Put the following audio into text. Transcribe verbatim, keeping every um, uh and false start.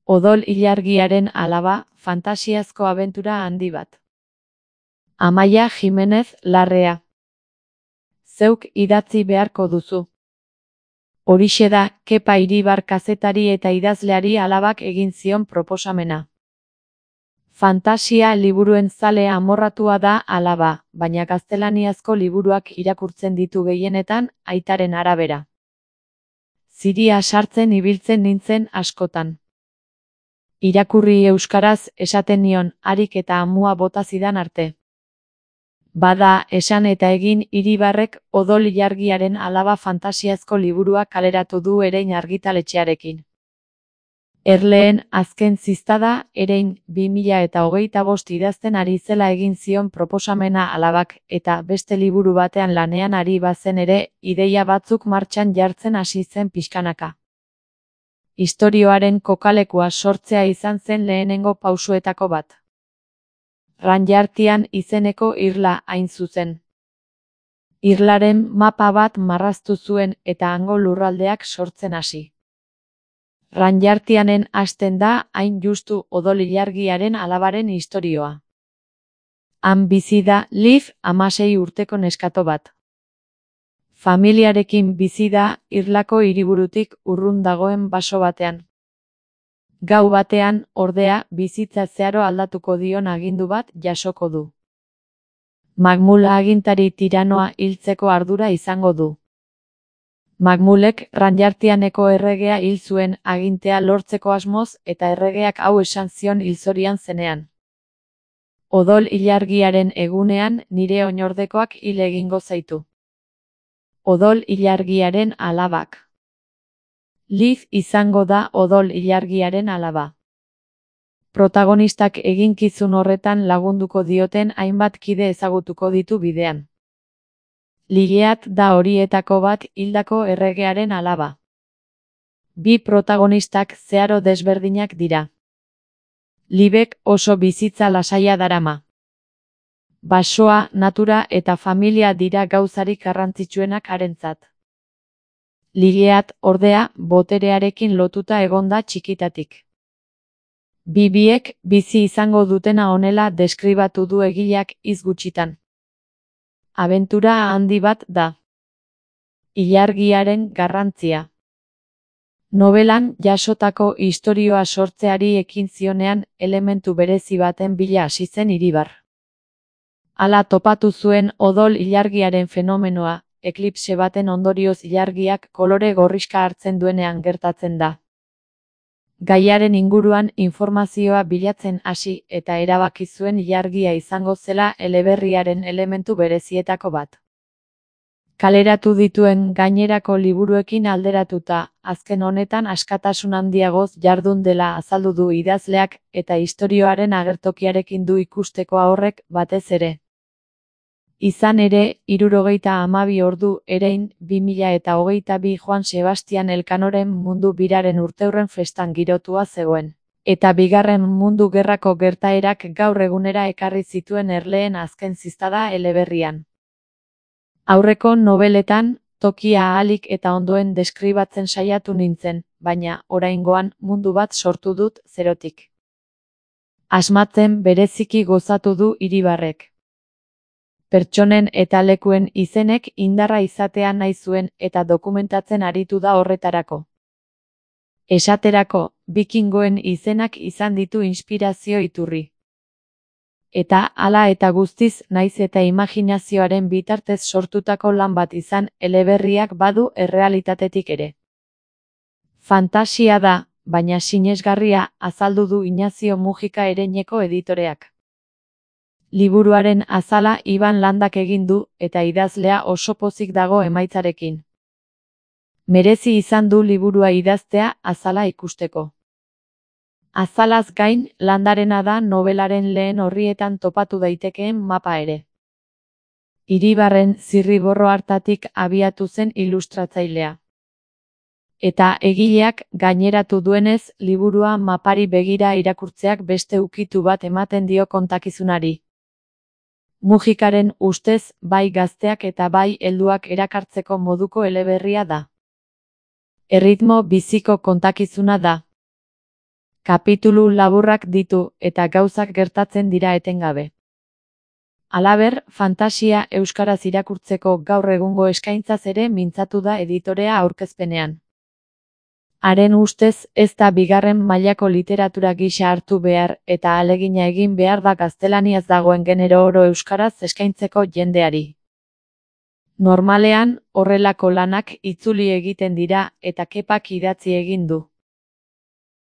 Odol ilargiaren alaba, fantasiazko abentura handi bat. Amaia Jimenez Larrea. Zeuk idatzi beharko duzu. Horixe da, Kepa Iribar kazetari eta idazleari alabak egin zion proposamena. Fantasia liburuen zale amorratua da alaba, baina gaztelaniazko liburuak irakurtzen ditu gehienetan, aitaren arabera. Ziria sartzen ibiltzen nintzen askotan. Irakurri euskaraz esaten nion, harik eta amua bota zidan arte. Bada, esan eta egin Iribarrek Odol ilargiaren alaba fantasiazko liburua kaleratu du Erein argitaletxearekin. Erleen azken ziztada, Erein bi mila eta hogeita bost idazten ari zela egin zion proposamena alabak, eta beste liburu batean lanean ari bazen ere, ideia batzuk martxan jartzen hasi zen pixkanaka. Istorioaren kokalekua sortzea izan zen lehenengo pausuetako bat. Ranjartian izeneko irla hain zuzen. Irlaren mapa bat marraztu zuen eta hango lurraldeak sortzen hasi. Ranjartianen hasten da hain justu Odol ilargiaren alabaren istorioa. Han bizi da Liv hamasei urteko neskato bat. Familiarekin bizi da irlako hiriburutik urrun dagoen baso batean. Gau batean, ordea, bizitza zeharo aldatuko dion agindu bat jasoko du. Magmula agintari tiranoa hiltzeko ardura izango du. Magmulek Ranjartianeko erregea hil zuen agintea lortzeko asmoz eta erregeak hau esan zion hilzorian zenean. Odol ilargiaren egunean nire oinordekoak hil egingo zaitu. Odol ilargiaren alabak. Liv izango da Odol ilargiaren alaba. Protagonistak eginkizun horretan lagunduko dioten hainbat kide ezagutuko ditu bidean. Ligeat da horietako bat hildako erregearen alaba. Bi protagonistak zeharo desberdinak dira. Livek oso bizitza lasaia darama. Basoa, natura eta familia dira gauzarik garrantzitsuenak harentzat. Ligeat, ordea, boterearekin lotuta egonda txikitatik. Bibiek bizi izango dutena honela deskribatu du egileak hitz gutxitan. Abentura handi bat da. Ilargiaren garrantzia. Nobelan jasotako istorioa sortzeari ekin zionean elementu berezi baten bila hasi zen Iribar. Hala topatu zuen Odol ilargiaren fenomenoa, eklipse baten ondorioz ilargiak kolore gorrixka hartzen duenean gertatzen da. Gaiaren inguruan informazioa bilatzen hasi eta erabaki zuen ilargia izango zela eleberriaren elementu berezietako bat. Kaleratu dituen gainerako liburuekin alderatuta, azken honetan askatasun handiagoz jardun dela azaldu du idazleak eta istorioaren agertokiarekin du ikusteko horrek batez ere. Izan ere, hirurogeita hamabi ordu Erein bi mila eta hogeita bi Joan Sebastian Elkanoren mundu biraren urteurren festan girotua zegoen. Eta bigarren mundu gerrako gertaerak gaur egunera ekarri zituen Erleen azken ziztada eleberrian. Aurreko nobeletan, tokia ahalik eta ondoen deskribatzen saiatu nintzen, baina, oraingoan, mundu bat sortu dut zerotik. Asmatzen bereziki gozatu du Iribarrek. Pertsonen eta lekuen izenek indarra izatea nahi zuen eta dokumentatzen aritu da horretarako. Esaterako, bikingoen izenak izan ditu inspirazio iturri. Eta hala eta guztiz naiz eta imaginazioaren bitartez sortutako lan bat izan eleberriak badu errealitatetik ere. Fantasia da, baina sinesgarria, azaldu du Inazio Mujika Ereineko editoreak. Liburuaren azala Iban Landak egin du eta idazlea oso pozik dago emaitzarekin. Merezi izan du liburua idaztea azala ikusteko. Azalaz gain, Landarena da nobelaren lehen orrietan topatu daitekeen mapa ere. Iribarren zirriborro hartatik abiatu zen ilustratzailea. Eta egileak gaineratu duenez, liburua mapari begira irakurtzeak beste ukitu bat ematen dio kontakizunari. Mujikaren ustez, bai gazteak eta bai helduak erakartzeko moduko eleberria da. Erritmo biziko kontakizuna da. Kapitulu laburrak ditu eta gauzak gertatzen dira etengabe. Halaber, fantasia euskaraz irakurtzeko gaur egungo eskaintzaz ere mintzatu da editorea aurkezpenean. Haren ustez, ez da bigarren mailako literatura gisa hartu behar eta ahalegina egin behar da gaztelaniaz dagoen genero oro euskaraz eskaintzeko jendeari. Normalean, horrelako lanak itzuli egiten dira eta Kepak idatzi egin du.